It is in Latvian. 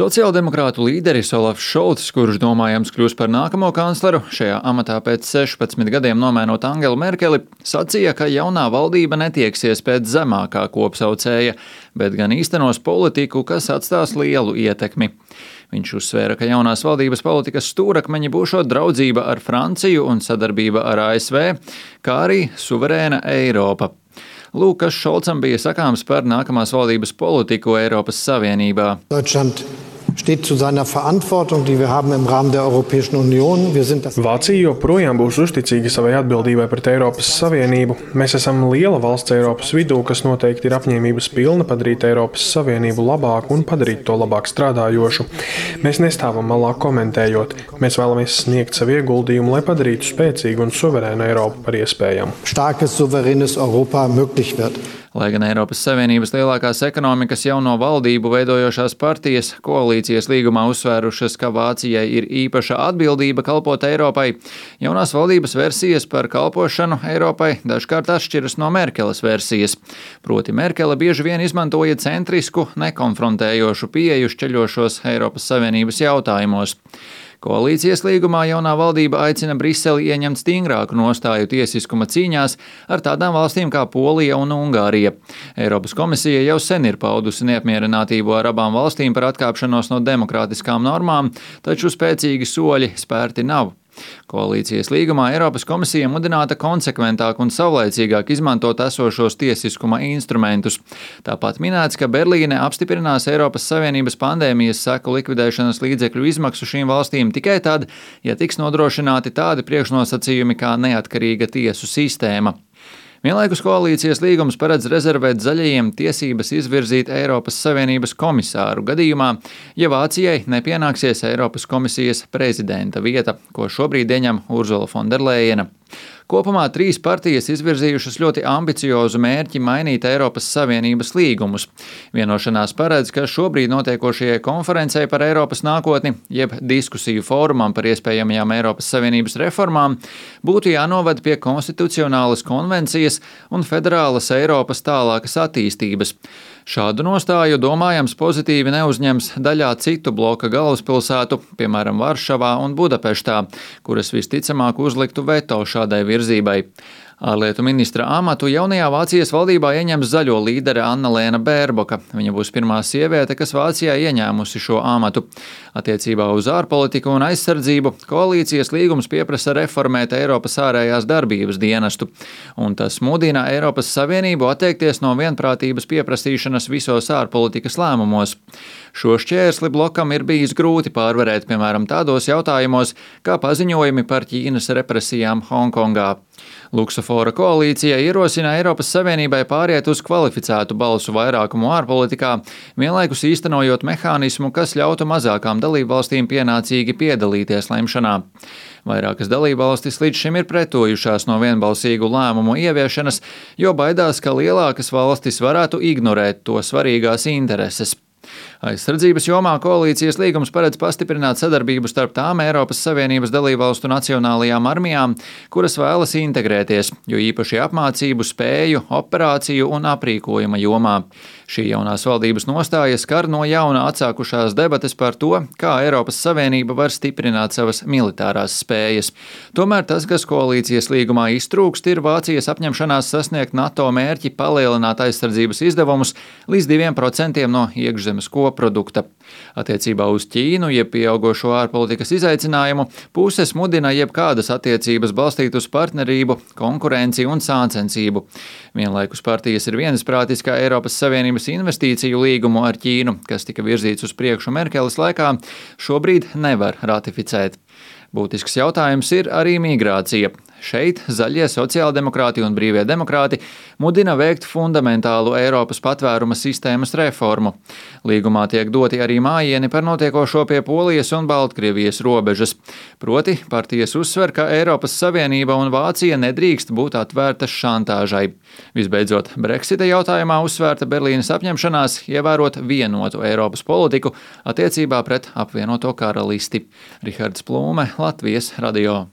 Sociāldemokrātu līderis Olafs Šolcs, kurš domājams kļūs par nākamo kancleru, šajā amatā pēc 16 gadiem nomainot Angelu Merkeli, sacīja, ka jaunā valdība netieksies pēc zemākā kopsaucēja, bet gan īstenos politiku, kas atstās lielu ietekmi. Viņš uzsvēra, ka jaunās valdības politikas stūrakmeņi būšot draudzība ar Franciju un sadarbība ar ASV, kā arī suverēna Eiropa. Lūk, kas Šolcam bija sakāms par nākamās valdības politiku Eiropas Savienībā. Deutschland steht zu seiner Verantwortung, die wir haben im Rahmen der Europäischen Union. Vācija joprojām būs uzticīga savai atbildībai pret Eiropas Savienību. Mēs esam liela valsts Eiropas vidū, kas noteikti ir apņēmības pilna padarīt Eiropas Savienību labāku un padarīt to labāk strādājošu. Mēs nestāvam malā komentējot. Mēs vēlamies sniegt savu ieguldījumu, lai padarītu spēcīgu un suverēnu Eiropu par iespējamu. Starkes, suverēnas Europa möglich wird. Lai gan Eiropas Savienības lielākās ekonomikas jauno valdību veidojošās partijas koalīcijas līgumā uzsvērušas, ka Vācijai ir īpaša atbildība kalpot Eiropai, jaunās valdības versijas par kalpošanu Eiropai dažkārt atšķiras no Merkeles versijas. Proti Merkele bieži vien izmantoja centrisku, nekonfrontējošu pieeju šķeļošos Eiropas Savienības jautājumos. Koalīcijas līgumā jaunā valdība aicina Briseli ieņemt stingrāku nostāju tiesiskuma cīņās ar tādām valstīm kā Polija un Ungārija. Eiropas komisija jau sen ir paudusi neapmierinātību ar abām valstīm par atkāpšanos no demokrātiskām normām, taču spēcīgi soļi spērti nav. Koalīcijas līgumā Eiropas komisija mudināta konsekventāk un savlaicīgāk izmantot esošos tiesiskuma instrumentus. Tāpat minēts, ka Berlīne apstiprinās Eiropas Savienības pandēmijas seku likvidēšanas līdzekļu izmaksu šīm valstīm tikai tad, ja tiks nodrošināti tādi priekšnosacījumi kā neatkarīga tiesu sistēma. Vienlaikus koalīcijas līgums paredz rezervēt zaļajiem tiesības izvirzīt Eiropas Savienības komisāru gadījumā, ja Vācijai nepienāksies Eiropas komisijas prezidenta vieta, ko šobrīd ieņem Urzula Fonderlejena. Kopumā 3 partijas izvirzījušas ļoti ambiciozu mērķi mainīt Eiropas Savienības līgumus. Vienošanās paredz, ka šobrīd notiekošajai konferencei par Eiropas nākotni, jeb diskusiju fórumam par iespējamajām Eiropas Savienības reformām, būtu jānoved pie konstitucionālas konvencijas un federālas Eiropas tālākas attīstības. Šādu nostāju domājams pozitīvi neuzņems daļā citu bloka galvaspilsētu, piemēram Varšavā un Budapeštā, kuras visticamāk uzliktu veto šādai virzībai. Ārlietu ministra amatu jaunajā Vācijas valdībā ieņems zaļo līdere Annalēna Bērboka. Viņa būs pirmā sieviete, kas Vācijā ieņēmusi šo amatu. Attiecībā uz ārpolitiku un aizsardzību koalīcijas līgums pieprasa reformēt Eiropas ārējās darbības dienestu, un tas mudina Eiropas Savienību atteikties no vienprātības pieprasīšanas visos ārpolitikas lēmumos. Šo šķērsli blokam ir bijis grūti pārvarēt, piemēram, tādos jautājumos, kā paziņojumi par Ķīnas represijām Hongkongā. Luksafora koalīcija ierosina Eiropas Savienībai pāriet uz kvalificētu balsu vairākumu ārpolitikā, vienlaikus īstenojot mehānismu, kas ļautu mazākām dalībvalstīm pienācīgi piedalīties lemšanā. Vairākas dalībvalstis līdz šim ir pretojušās no vienbalsīgu lēmumu ieviešanas, jo baidās, ka lielākas valstis varētu ignorēt to svarīgās intereses. Aizsardzības jomā koalīcijas līgums paredz pastiprināt sadarbību starp tām Eiropas Savienības dalībvalstu nacionālajām armijām, kuras vēlas integrēties, jo īpaši apmācību, spēju, operāciju un aprīkojuma jomā. Šī jaunās valdības nostāja skar no jauna atsākušās debates par to, kā Eiropas Savienība var stiprināt savas militārās spējas. Tomēr tas, kas koalīcijas līgumā iztrūkst, ir Vācijas apņemšanās sasniegt NATO mērķi palielināt aizsardzības izdevumus līdz 2% no iekšzemes koprodukta. Attiecībā uz Ķīnu, jeb pieaugošo ārpolitikas izaicinājumu, puses mudina jebkādas attiecības balstīt uz partnerību, konkurenci un sāncensību. Vienlaikus partijas ir viensprātis, ka Eiropas Savienības investīciju līgumu ar Ķīnu, kas tika virzīts uz priekšu Merkeles laikā, šobrīd nevar ratificēt. Būtisks jautājums ir arī migrācija. Šeit zaļie sociāldemokrāti un brīvie demokrāti mudina veikt fundamentālu Eiropas patvēruma sistēmas reformu. Līgumā tiek doti arī mājieni par notiekošo pie Polijas un Baltkrievijas robežas. Proti, partijas uzsver, ka Eiropas Savienība un Vācija nedrīkst būt atvērtas šantāžai. Visbeidzot, Brexita jautājumā uzsvērta Berlīnes apņemšanās ievērot vienotu Eiropas politiku attiecībā pret apvienoto karalisti. Rihards Plūme, Latvijas radio.